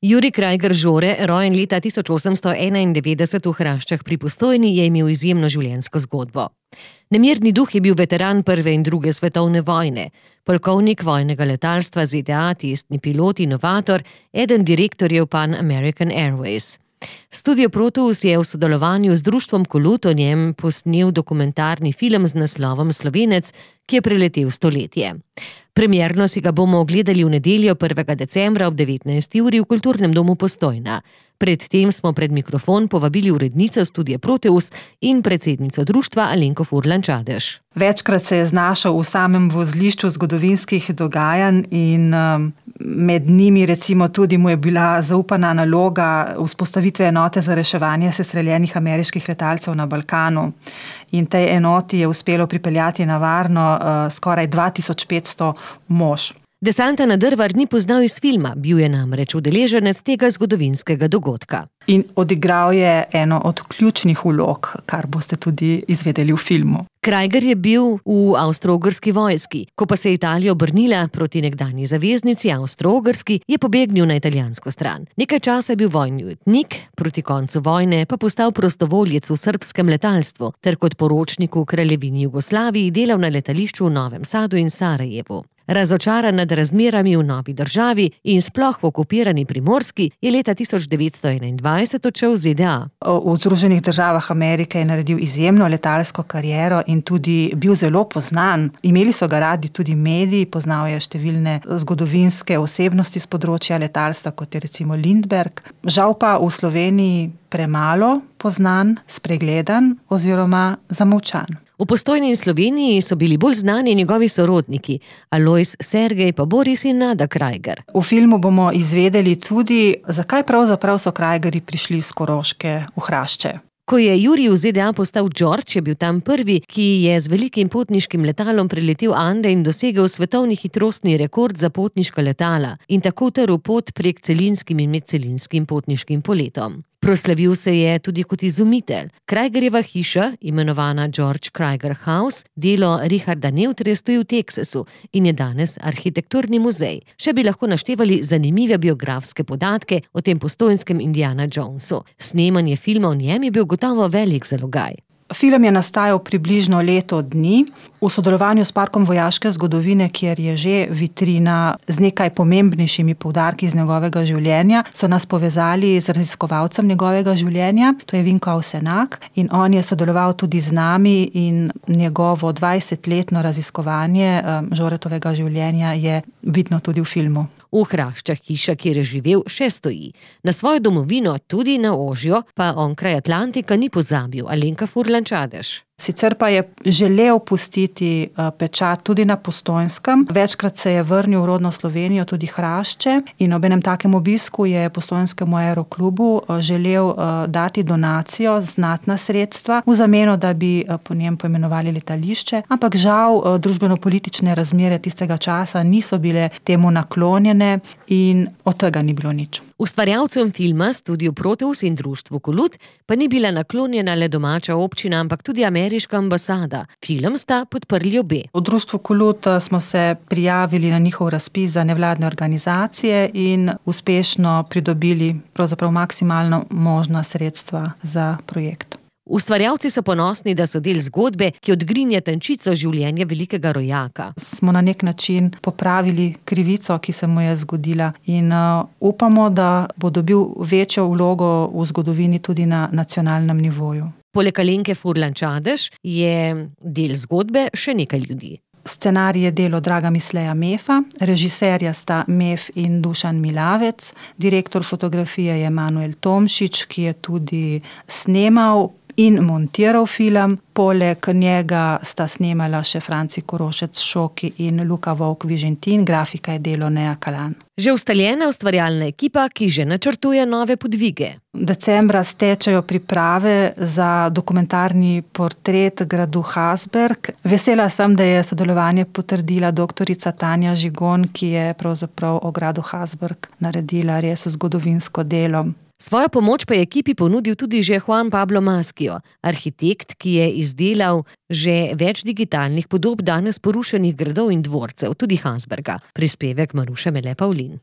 Jurij Krajger Žore, rojen leta 1891 v Hraščah pri Postojni, je imel izjemno življenjsko zgodbo. Nemirni duh je bil veteran prve in druge svetovne vojne, polkovnik vojnega letalstva ZDA, testni pilot, inovator, eden direktorjev Pan American Airways. Studio Proteus je v sodelovanju z društvom Kolut o njem posnel dokumentarni film z naslovom Slovenec, ki je preletel stoletje. Premierno si ga bomo ogledali v nedeljo 1. decembra ob 19. uri v Kulturnem domu Postojna. Predtem smo pred mikrofon povabili urednico Studia Proteus in predsednico društva Alenko Furlan-Čadež. Večkrat se je znašel v samem vozlišču zgodovinskih dogajanj in med njimi recimo tudi mu je bila zaupana naloga vzpostavitve enote za reševanje sestreljenih ameriških letalcev na Balkanu. In tej enoti je uspelo pripeljati na varno skoraj 2500 mož. Desanta Nadrvar ni poznal iz filma, bil je namreč udeleženec tega zgodovinskega dogodka. In odigral je eno od ključnih vlog, kar boste tudi izvedeli v filmu. Krajger je bil v avstro-ogrski vojski. Ko pa se je Italija obrnila proti nekdanji zaveznici Avstro-Ogrski, je pobegnil na italijansko stran. Nekaj časa je bil vojni ujetnik, proti koncu vojne pa postal prostovoljec v srbskem letalstvu ter kot poročnik v kraljevini Jugoslaviji delal na letališču v Novem Sadu in Sarajevu. Razočaran nad razmerami v novi državi in sploh v okupirani Primorski je leta 1921 odšel v ZDA. V Združenih državah Amerike je naredil izjemno letalsko kariero in tudi bil zelo poznan. Imeli so ga radi tudi mediji, poznal je številne zgodovinske osebnosti z področja letalstva, kot je recimo Lindbergh. Žal pa v Sloveniji premalo poznan, spregledan oziroma zamolčan. V Postojni in Sloveniji so bili bolj znani njegovi sorodniki, Alojz, Sergej pa Boris in Nada Krajger. V filmu bomo izvedeli tudi, zakaj pravzaprav so Krajgerji prišli iz Koroške v Hrašče. Ko je Jurij v ZDA postal George, je bil tam prvi, ki je z velikim potniškim letalom preletel Ande in dosegel svetovni hitrostni rekord za potniška letala in tako utrl pot prek celinskim in medcelinskim potniškim poletom. Proslavil se je tudi kot izumitelj. Krajgerjeva hiša, imenovana George Krajger House, delo Richarda Neutre, stoji v Teksasu in je danes arhitekturni muzej. Še bi lahko naštevali zanimive biografske podatke o tem postojnskem Indiana Jonesu. Snemanje filma o njem je bil gotovo velik zalogaj. Film je nastajal približno leto dni v sodelovanju s Parkom vojaške zgodovine, kjer je že vitrina z nekaj pomembnejšimi poudarki iz njegovega življenja. So nas povezali z raziskovalcem njegovega življenja, to je Vinko Avsenak, in on je sodeloval tudi z nami in njegovo 20-letno raziskovanje Žoretovega življenja je vidno tudi v filmu. V Hraščah hiša, kjer je živel, še stoji. Na svojo domovino, tudi na Ožjo, pa onkraj Atlantika ni pozabil Alenka Furlan-Čadež. Sicer pa je želel pustiti pečat tudi na Postojnskem. Večkrat se je vrnil v rodno Slovenijo, tudi Hrašče, in ob enem takem obisku je Postojnskemu aeroklubu želel dati donacijo, znatna sredstva, v zameno, da bi po njem poimenovali letališče, ampak žal družbeno-politične razmere tistega časa niso bile temu naklonjene in od tega ni bilo nič. Ustvarjalcem filma Studio Proteus in društvu Kolut pa ni bila naklonjena le domača občina, ampak tudi ameriška ambasada. Film sta podprli obe. V društvu Kolut smo se prijavili na njihov razpis za nevladne organizacije in uspešno pridobili pravzaprav maksimalno možna sredstva za projekt. Ustvarjalci so ponosni, da so del zgodbe, ki odgrinja tančico življenja velikega rojaka. Smo na nek način popravili krivico, ki se mu je zgodila, in upamo, da bo dobil večjo vlogo v zgodovini tudi na nacionalnem nivoju. Poleg Alenke Furlan-Čadež je del zgodbe še nekaj ljudi. Scenarij je delo Draga Misleja Mefa, režiserja sta Mef in Dušan Milavec, direktor fotografije je Manuel Tomšič, ki je tudi snemal in montiral film. Poleg njega sta snemala še Franci Korošec Šoki in Luka Vovk Vižentin, grafika je delo Neja Kalan. Že ustaljena ustvarjalna ekipa, ki že načrtuje nove podvige. Decembra stečejo priprave za dokumentarni portret gradu Hasberg. Vesela sem, da je sodelovanje potrdila doktorica Tanja Žigon, ki je pravzaprav o gradu Hasberg naredila res zgodovinsko delo. Svojo pomoč pa je ekipi ponudil tudi že Juan Pablo Maschio, arhitekt, ki je izdelal že več digitalnih podob danes porušenih gradov in dvorcev, tudi Hasberga. Prispevek Maruše Mele Pavlin.